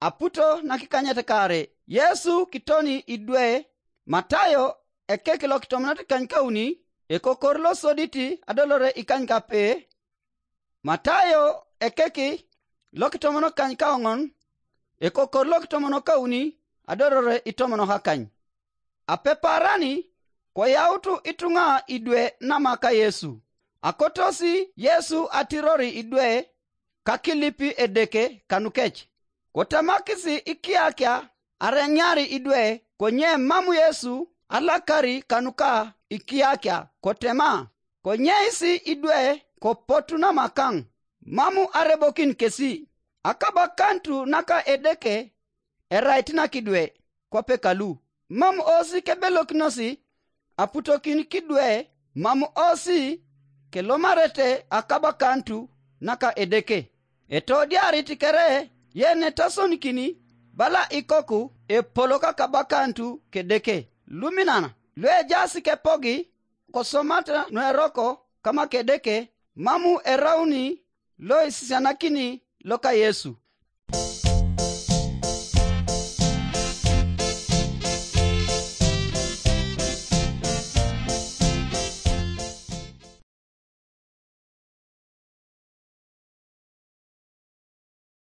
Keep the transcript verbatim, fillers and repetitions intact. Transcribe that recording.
Aputo nakikanyet kare Yesu kitoni idwe. Matayo ekek lokitomonot kanykauni, ekokor losodit adolore ikanykape. Matayo ekek lokitomon kanykaoŋon, ekokor lokitomon kauni adolore itomon kakany. Apeparani koyautu ituŋa idwe namaka Yesu. Akotosi Yesu atirori idwe kakilip Edeke kanukec. Kotemakisi ikiakia areŋiari idwe, konye mam Yesu alakari kanuka ikiakia, kotema, konyeisi idwe kopotu namakaŋ, mam arebokin kesi. Akabakantu naka Edeke erait nakidwe, kwape kalu. Mam osi kebelokinosi aputokin kidwe, mam osi kelomarete akabakantu naka Edeke. Etodiarit kere yenetasonikini bala ikoku epolok akabakantu kedeke. Luminan luejaas kepogi kosomata nueroko kama kedeke, mam erauni loisisianakini loka Yesu.